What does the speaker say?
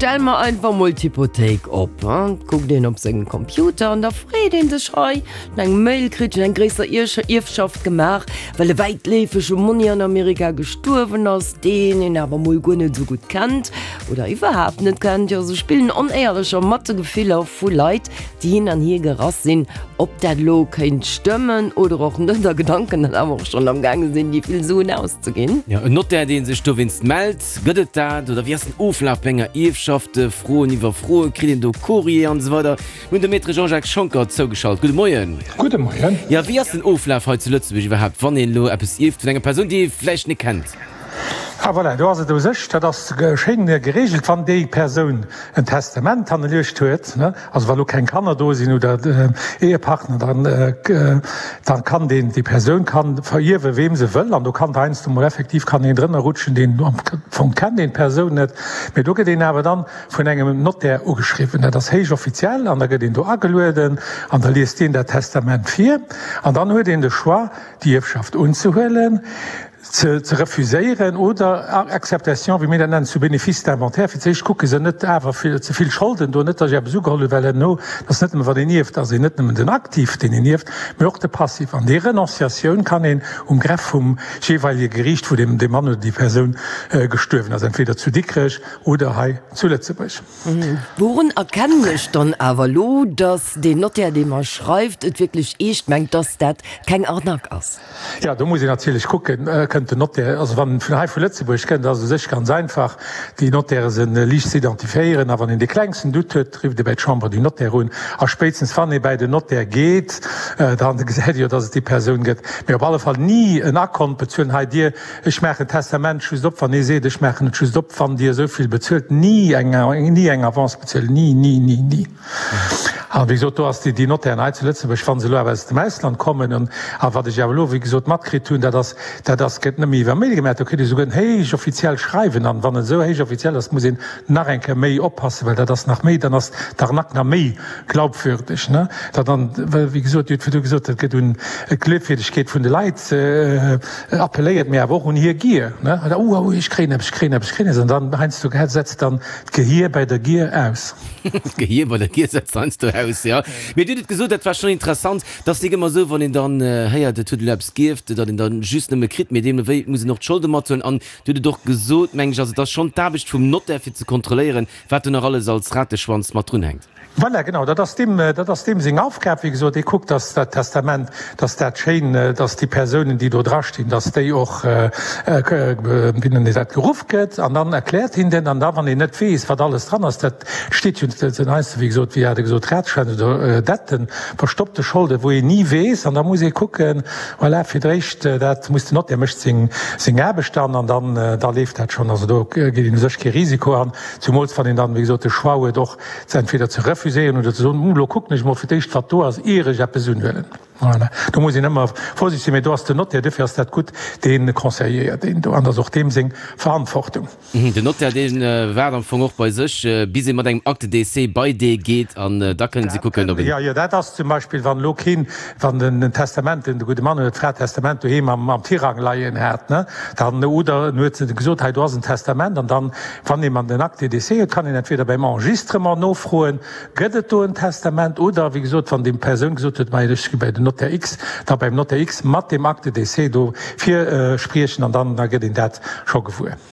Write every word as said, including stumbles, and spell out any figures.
stell mer einfach mol d'Hypothéik op. Kuckt een op sengem Computer an da freet een sech, hei, eng Mail kritt, eng gréisser Ierfschaft gemaach, well e wäitleefege Monni an Amerika gestuerwen ass, deen een awer mol guer net esou gutt kennt oder iwwerhaapt net kennt. Jo, se spillen Onéierlecher mat de Gefiller vu Leit, déi hin an hier gerass sinn, ob dat elo kéint stëmmen oder och net, a Gedanken dann awer och schonn am gaange sinn, déi vill Suen auszeginn. Jo, en Notaire, dee sech dowéinst mellt, gëtt et dat? Oder wéi ass den Oflaf bei enger Ierfschaft? Froen iwwer Froe, kritt een do Courrier an esou weider? Mir hunn de Maître Jean-Jacques Schonckert zougeschalt. Gudde Moien. Gudde Moien. Jo, wéi ass den Oflaf hei zu Lëtzebuerg iwwerhaapt, wann een elo eppes ierft vun enger Persoun, déi ee vläicht net kennt? Ah voilà, do ass et u sech, dat ass schéin geregelt, wann déi Persoun en Testament hannerluecht huet, ne, also wa lo keng Kanner do sinn oder Ehepartner, dann da kann deen, déi Persoun kann verierwe weem se wëll an do kann heiansdo mol effektiv kann een drënner rutschen, deen am Fong kennt een d'Persoun net, mee do gëtt een awer dann vun engem Notaire ugeschriwwen. Dat ass héich offiziell an da gëtt een do agelueden an da liest deen dat Testament vir an dann huet een de Choix, déi Ierfschaft unzehuelen, ze ze refuséieren oder Acceptation, wéi mir dat nennen, zu bénéfice d'inventaire. Fir d'éischt kucke se net awer fir ze vill Scholden do, net datt ech eppes ugeholl hunn, well herno, dat ass net nëmme wann een ierft, ass een net nëmmen den Aktiv, deen een ierft, mee och de Passiv. An déi Renonciatioun kann een um Greffe vum jeeweilige Geriicht, wou dee Mann oder déi Persoun gestuerwen ass, entweder zu Dikrech oder hei zu Lëtzebuerg. Wourun erkennen ech dann awer elo, datt deen Notaire, dee mer schreift, et wierklech eescht mengt, datt dat keng Arnaque ass? Jo, do muss een natierlech kucken, kënnt den Notaire, also wann en vun hei vu Lëtzebuerg kënnt, ass et u sech ganz einfach, déi Notaire se liicht ze identifiéieren. A wann een dee klengsten Doute huet, rifft ee bäi d'Chambre du Notaire un. A spéitstens wann ee bäi den Notaire geet, da gesäit ee jo, datt et déi Persoun gëtt. Mee op alle Fall ni en Akkont bezuelen, hei Dir, ech maachen d'Testament just op, wann ee seet, ech maachen et just op, wann Dir esou vill bezuelt. Ni eng, ni eng Avance bezuelen, ni, ni, ni, ni. An wéi gesot, do ass déi, déi Notairen hei zu Lëtzebuerg, wa se elo awer aus dem Ausland kommen, an a wat ech awer elo, wéi gesot, matkritt hunn, dat ass, dat ass, gëtt net méi iwwer Mail gemaach, do kritt ee souguer en héich offiziell Schreiwen. An wann et esou héich offiziell ass, muss een nach eng Kéier méi oppassen, well dat ass nach méi, dann ass d'Arnaque nach méi glaubwürdeg, ne? Dat dann, well, wéi gesot, Dir hutt virdu gesot, et gëtt un d'Gleefwierdegkeet vun de Leit appelléiert, mee awer och un hir Gier, ne? Oh, oh, ech kréien eppes, ech kréien eppes, ech kréien eppes. An dann heiansdo setzt dann d'Gehier bei der Gier aus. D'Gehier bei der Gier setzt heiansdo aus, jo. Mee Dir hutt et gesot, dat war schonn interessant, et ass nik ëmmer esou, wann een dann héiert, et huet elo eppes gierft, datt een dann just nëmme kritt, mee deemno wéi muss een och d'Scholde mathuelen. An Dir hutt et och gesot, meng ech, also et ass schonn d'Aarbecht vum Notaire fir ze kontrolléieren, wat do nach alles als Rateschwanz mat drunhänkt. Voilà, genau, dat ass deem, dat ass deem seng Aufgab. Wéi gesot, dee kuckt, datt dat Testament, datt dat schéin, datt déi Persounen, déi do drastinn, datt déi och, wéi nennt een dat, geruff gëtt. An dann erkläert hien den, an da wann een net weess, wat alles dran ass, dat steet jo den heiansdo, wéi gesot, wéi hat e gesot, Ratschwänz oder Detten, verstoppte Scholden, wou een ni weess. An da muss ee kucken, voilà, fir d'éischt, dat muss den Notaire mécht seng, seng Aarbecht dann, an dann, da leeft dat schonn. Also do geet een u sech kee Risiko an, zumools wann een dann, wéi gesot, de Choix huet och ze entweder ze refuséieren oder ze soen, Hm, elo kucken ech mol fir d'éischt, wat do ass, ier ech eppes unhuelen. Voilà. Do muss een ëmmer vorsichteg sinn, mee do ass den Notaire, duerfir ass dat gutt, dee conseilléiert een do an dat ass och deem seng Verantwortung. Den Notaire, dee waart am Fong och bei sech, bis ee mat engem Acte de décès bei dee geet an da kënnen se kucken, ob en. Jo, jo, dat ass zum Beispill, wann elo keen, wann den Testament, den gudde Mann oder d'Fra d'Testament doheem am am Tirang leien hat, ne, dann, oder en huet gesot, hei do ass en Testament, an dann, wann ee man den Acte de décès huet, kann een entweder beim Enregistrement nofroen, Gëtt et do en Testament? Oder, wéi gesot, wann déi Persoun gesot huet, Majo, ech gi bei den Notaire X, da beim Notaire X mat deem Acte de décès do virspriechen an dann da gëtt een dat scho gewuer.